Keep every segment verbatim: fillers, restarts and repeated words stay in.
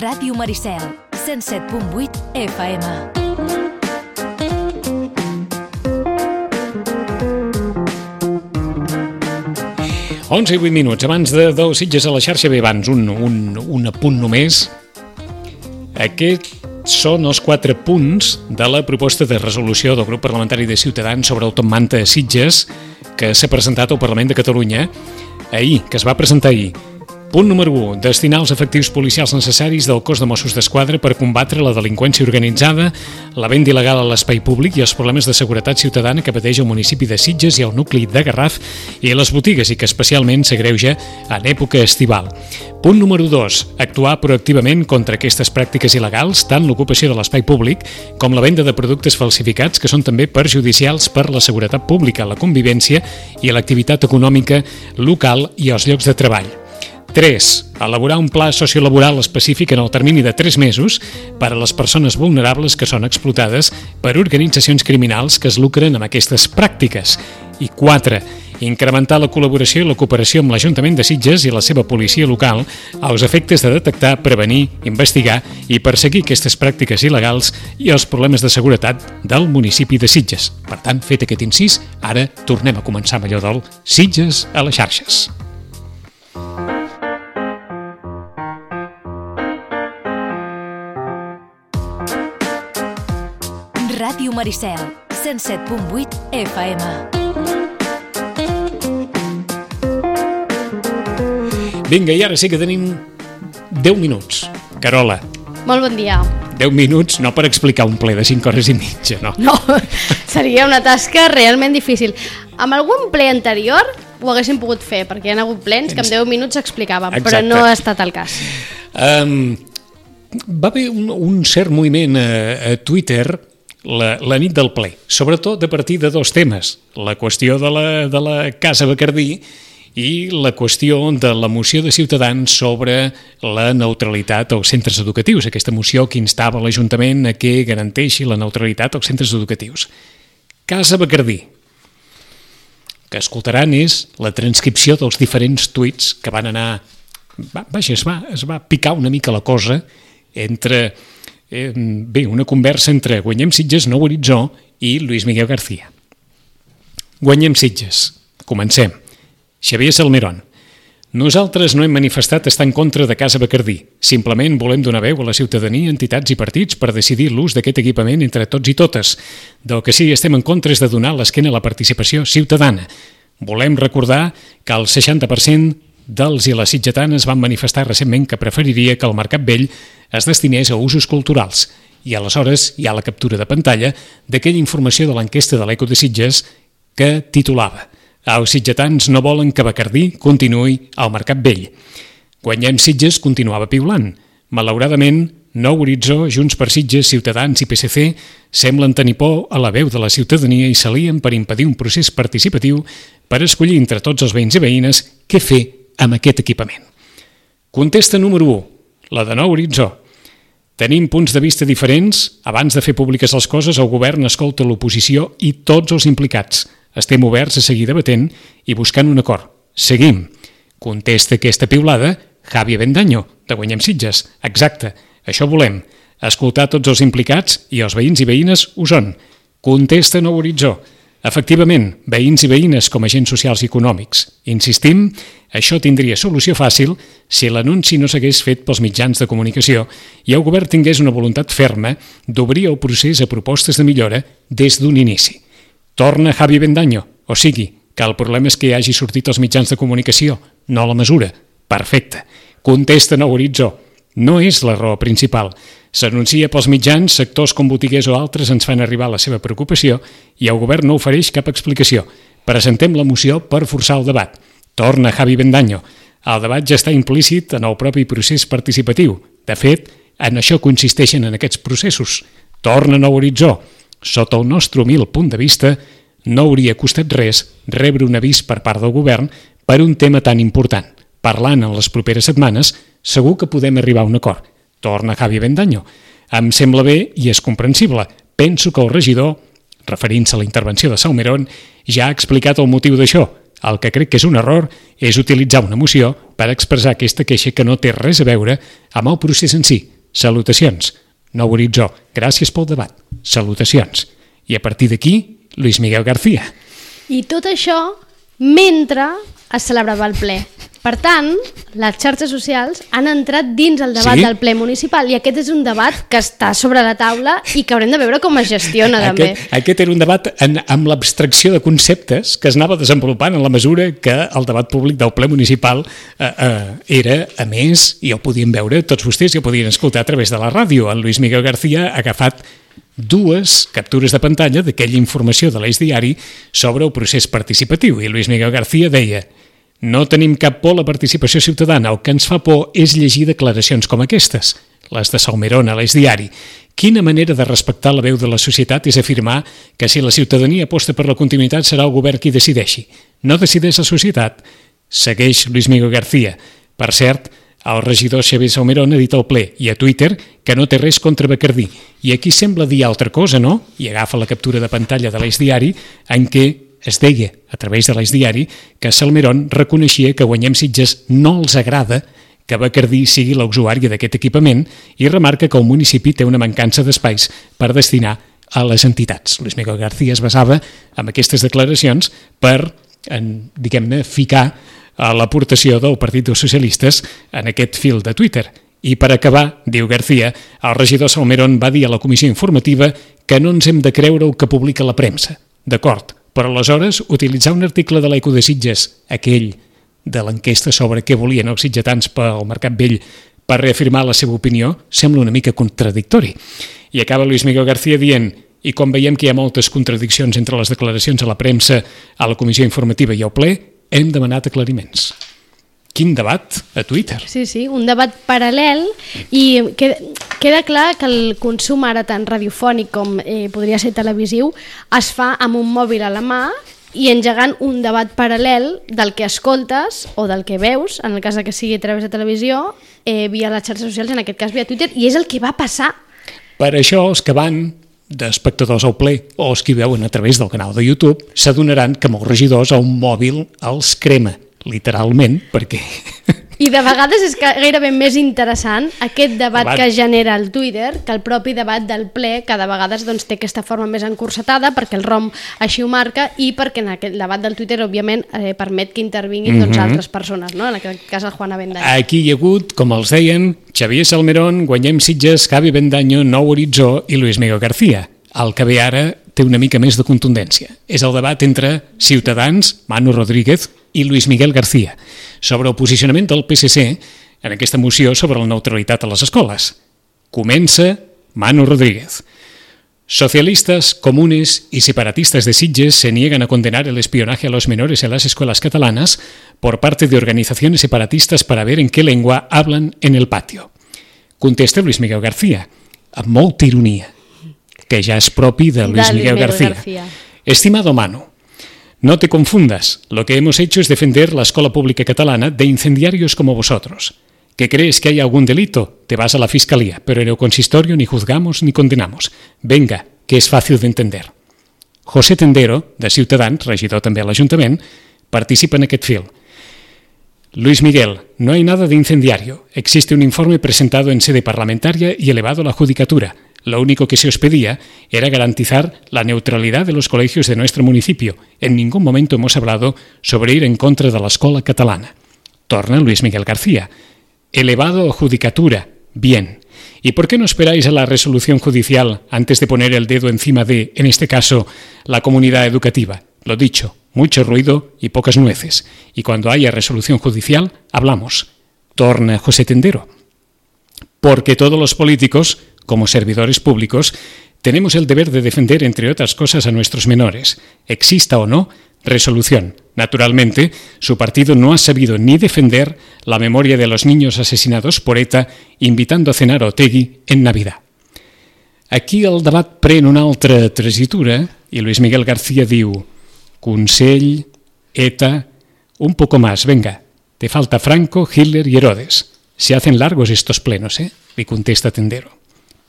Ràdio Maricel, cent set punt vuit F M. onze i vuit minuts, abans de dos Sitges a la xarxa. Bé, abans un, un, un apunt només. Aquests són els quatre punts de la proposta de resolució del grup parlamentari de Ciutadans sobre el Top Manta a Sitges que s'ha presentat al Parlament de Catalunya ahir, que es va presentar ahir. Punt número u. Destinar els efectius policials necessaris del cos de Mossos d'Esquadra per combatre la delinqüència organitzada, la venda il·legal a l'espai públic i els problemes de seguretat ciutadana que pateix el municipi de Sitges i el nucli de Garraf i les botigues i que especialment s'agreuja en època estival. Punt número dos. Actuar proactivament contra aquestes pràctiques il·legals, tant l'ocupació de l'espai públic com la venda de productes falsificats que són també perjudicials per la seguretat pública, la convivència i l'activitat econòmica local i els llocs de treball. tres. Elaborar un pla sociolaboral específic en el termini de tres mesos per a les persones vulnerables que són explotades per organitzacions criminals que es lucren amb aquestes pràctiques. I quatre. Incrementar la col·laboració i la cooperació amb l'Ajuntament de Sitges i la seva policia local als efectes de detectar, prevenir, investigar i perseguir aquestes pràctiques il·legals i els problemes de seguretat del municipi de Sitges. Per tant, fet aquest incís, ara tornem a començar amb allò del Sitges a les xarxes. Ràdio Maricel, cent set punt vuit F M. Vinga, i ara sí que tenim deu minuts. Carola. Molt bon dia. deu minuts, no per explicar un ple de cinc hores i mitja, no. No, seria una tasca realment difícil. Amb algun ple anterior ho haguéssim pogut fer, perquè hi ha hagut plens que en deu minuts explicàvem, Exacte. Però no ha estat el cas. Um, va haver un, un cert moviment a, a Twitter La, la nit del ple, sobretot a partir de dos temes, la qüestió de la, de la Casa Bacardí i la qüestió de la moció de Ciutadans sobre la neutralitat als centres educatius, aquesta moció que instava l'Ajuntament a que garanteixi la neutralitat als centres educatius. Casa Bacardí. Que escoltaran és la transcripció dels diferents tuits que van anar... Vaja, es va, es va picar una mica la cosa entre... Eh, bé, una conversa entre Guanyem Sitges, Nou Horitzó i Luis Miguel García. Guanyem Sitges. Comencem. Xavier Salmerón. Nosaltres no hem manifestat estar en contra de Casa Bacardí. Simplement volem donar veu a la ciutadania, entitats i partits per decidir l'ús d'aquest equipament entre tots i totes. Del que sí estem en contra és de donar l'esquena a la participació ciutadana. Volem recordar que el seixanta per cent dels i les sitgetanes van manifestar recentment que preferiria que el Mercat Vell es destinés a usos culturals i aleshores hi ha la captura de pantalla d'aquella informació de l'enquesta de l'Eco de Sitges que titulava Els sitgetans no volen que Bacardí continuï al Mercat Vell. Guanyem Sitges continuava piulant. Malauradament, Nou Horitzó, Junts per Sitges, Ciutadans i P S C semblen tenir por a la veu de la ciutadania i s'alien per impedir un procés participatiu per escollir entre tots els veïns i veïnes què fer amb aquest equipament. Contesta número u, la de Nou Horitzó. Tenim punts de vista diferents. Abans de fer públiques les coses, el govern escolta l'oposició i tots els implicats. Estem oberts a seguir debatent i buscant un acord. Seguim. Contesta aquesta piulada Javi Avendaño, de Guanyem Sitges. Exacte, això volem. Escoltar tots els implicats i els veïns i veïnes ho són. Contesta Nou Horitzó. Efectivament, veïns i veïnes com a agents socials i econòmics. Insistim, això tindria solució fàcil si l'anunci no s'hagués fet pels mitjans de comunicació i el govern tingués una voluntat ferma d'obrir el procés a propostes de millora des d'un inici. Torna Javi Avendaño, o sigui, que el problema és que hagi sortit als mitjans de comunicació, no la mesura. Perfecte. Contesta Nou Horitzó. No és la raó principal. S'anuncia pels mitjans, sectors com botiguers o altres ens fan arribar la seva preocupació i el govern no ofereix cap explicació. Presentem la moció per forçar el debat. Torna Javi Avendaño. El debat ja està implícit en el propi procés participatiu. De fet, en això consisteixen en aquests processos. Torna Nou Horitzó. Sota el nostre humil punt de vista, no hauria costat res rebre un avís per part del govern per un tema tan important. Parlant en les properes setmanes, segur que podem arribar a un acord. Torna Javi Avendaño. Em sembla bé i és comprensible. Penso que el regidor, referint-se a la intervenció de Salmerón, ja ha explicat el motiu d'això. El que crec que és un error és utilitzar una moció per expressar aquesta queixa que no té res a veure amb el procés en si. Salutacions. Nou Horitzó, gràcies pel debat. Salutacions. I a partir d'aquí, Luis Miguel García. I tot això mentre es celebrava el ple. Per tant, les xarxes socials han entrat dins el debat sí? del ple municipal i aquest és un debat que està sobre la taula i que haurem de veure com es gestiona també. Aquest, aquest era un debat en, amb l'abstracció de conceptes que es anava desenvolupant en la mesura que el debat públic del ple municipal eh, eh, era, a més, i ho podien veure tots vostès i ho podien escoltar a través de la ràdio. El Luis Miguel García ha agafat dues captures de pantalla d'aquella informació de l'Eix Diari sobre el procés participatiu i Luis Miguel García deia: no tenim cap por a la participació ciutadana, el que ens fa por és llegir declaracions com aquestes, les de Salmerón a l'Eix Diari. Quina manera de respectar la veu de la societat és afirmar que si la ciutadania aposta per la continuïtat serà el govern qui decideixi. No decideix la societat, segueix Luis Miguel García. Per cert, el regidor Xavier Salmerón ha dit al ple i a Twitter que no té res contra Bacardí. I aquí sembla dir altra cosa, no? I agafa la captura de pantalla de l'Eix Diari en què es deia, a través de l'Eix Diari, que Salmerón reconeixia que Guanyem Sitges no els agrada que Bacardí sigui l'usuària d'aquest equipament i remarca que el municipi té una mancança d'espais per destinar a les entitats. Luis Miguel García es basava en aquestes declaracions per, en, diguem-ne, ficar a l'aportació del Partit dels Socialistes en aquest fil de Twitter. I per acabar, diu García, el regidor Salmerón va dir a la comissió informativa que no ens hem de creure el que publica la premsa. D'acord, però aleshores utilitzar un article de l'Eco de Sitges, aquell de l'enquesta sobre què volien els sitgetans pel Mercat Vell, per reafirmar la seva opinió, sembla una mica contradictori. I acaba Luis Miguel García dient: i com veiem que hi ha moltes contradiccions entre les declaracions a la premsa, a la comissió informativa i al ple, hem demanat aclariments. Quin debat a Twitter. Sí, sí, un debat paral·lel i queda, queda clar que el consum ara tant radiofònic com eh, podria ser televisiu es fa amb un mòbil a la mà i engegant un debat paral·lel del que escoltes o del que veus, en el cas que sigui a través de televisió, eh, via les xarxes socials, en aquest cas via Twitter, i és el que va passar. Per això els que van d'espectadors al ple o els que veuen a través del canal de YouTube s'adonaran que molts regidors a un mòbil els crema, literalment, perquè... I de vegades és gairebé més interessant aquest debat que genera el Twitter que el propi debat del ple, que de vegades doncs, té aquesta forma més encursetada perquè el ROM així ho marca i perquè en aquest debat del Twitter, òbviament, eh, permet que intervinguin doncs, mm-hmm. altres persones, no? En aquest cas el Juan Avendaño. Aquí hi ha hagut, com els deien, Xavier Salmerón, Guanyem Sitges, Javi Avendaño, Nou Horitzó i Luis Miguel García. El que ve ara té una mica més de contundència. És el debat entre Ciutadans, Manu Rodríguez i Luis Miguel García sobre el posicionament del P S C en aquesta moció sobre la neutralitat a les escoles. Comença Manu Rodríguez. Socialistas, comunes y separatistas de Sitges se niegan a condenar el espionaje a los menores en las escuelas catalanas por parte de organizaciones separatistas para ver en qué lengua hablan en el patio. Contesta Luis Miguel García, amb molta ironia, que ja és propi de Luis de Miguel, Miguel García. García. Estimado Manu, no te confundas, lo que hemos hecho es defender la escuela pública catalana de incendiarios como vosotros. ¿Que crees que hay algún delito? Te vas a la fiscalía, pero en el consistorio ni juzgamos ni condenamos. Venga, que es fácil de entender. José Tendero, de Ciutadans, regidor també a l'Ajuntament, participa en aquest fil. Luis Miguel, no hay nada de incendiario. Existe un informe presentado en sede parlamentaria y elevado a la judicatura. Lo único que se os pedía era garantizar la neutralidad de los colegios de nuestro municipio. En ningún momento hemos hablado sobre ir en contra de la escuela catalana. Torna Luis Miguel García. Elevado a judicatura. Bien. ¿Y por qué no esperáis a la resolución judicial antes de poner el dedo encima de, en este caso, la comunidad educativa? Lo dicho, mucho ruido y pocas nueces. Y cuando haya resolución judicial, hablamos. Torna José Tendero. Porque todos los políticos, como servidores públicos, tenemos el deber de defender, entre otras cosas, a nuestros menores. Exista o no resolución. Naturalmente, su partido no ha sabido ni defender la memoria de los niños asesinados por ETA invitando a cenar a Otegi en Navidad. Aquí el debat pren una altra tessitura i Luis Miguel García diu: Consell, ETA, un poco más, venga, te falta Franco, Hitler y Herodes. Se hacen largos estos plenos, eh? Li contesta Tendero.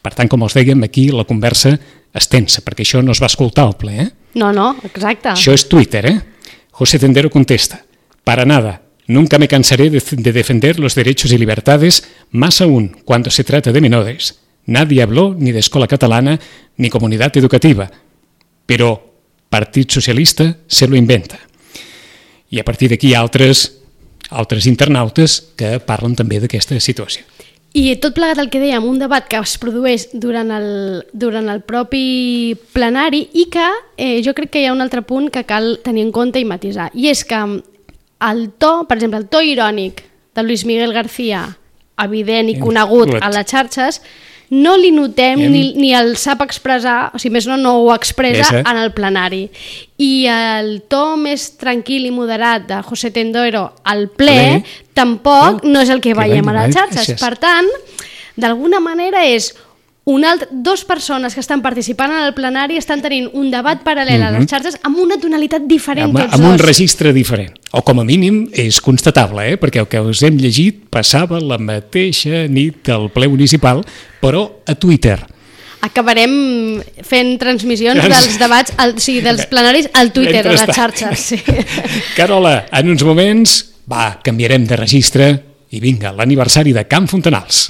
Per tant, com els dèiem, aquí la conversa es tensa, perquè això no es va escoltar al ple, eh? No, no, exacte. Això és Twitter, eh? José Tendero contesta: para nada, Nunca me cansaré de, de defender los derechos y libertades, más aún cuando se trata de menores. Nadie habló ni de escola catalana ni comunidad educativa, però Partit Socialista se lo inventa. I a partir d'aquí altres, altres internautes que parlen també d'aquesta situació. I tot plegat el que dèiem, un debat que es produeix durant el, durant el propi plenari i que eh, jo crec que hi ha un altre punt que cal tenir en compte i matisar. I és que el to, per exemple, el to irònic de Luis Miguel García, evident i conegut a les xarxes, no li notem ni, ni el sap expressar, o sigui, més no, no ho expressa en el plenari. I el to més tranquil i moderat de José Tendero al ple tampoc no és el que veiem a les xarxes. Per tant, d'alguna manera és un alt, dos persones que estan participant en el plenari estan tenint un debat paral·lel a les xarxes amb una tonalitat diferent amb, tots amb dos. Un registre diferent. O com a mínim és constatable, eh? Perquè el que us hem llegit passava la mateixa nit del ple municipal, però a Twitter. Acabarem fent transmissions dels debats, al, o sigui, dels plenaris al Twitter, a les xarxes. Sí. Carola, en uns moments, va, canviarem de registre i vinga, l'aniversari de Can Fontanals.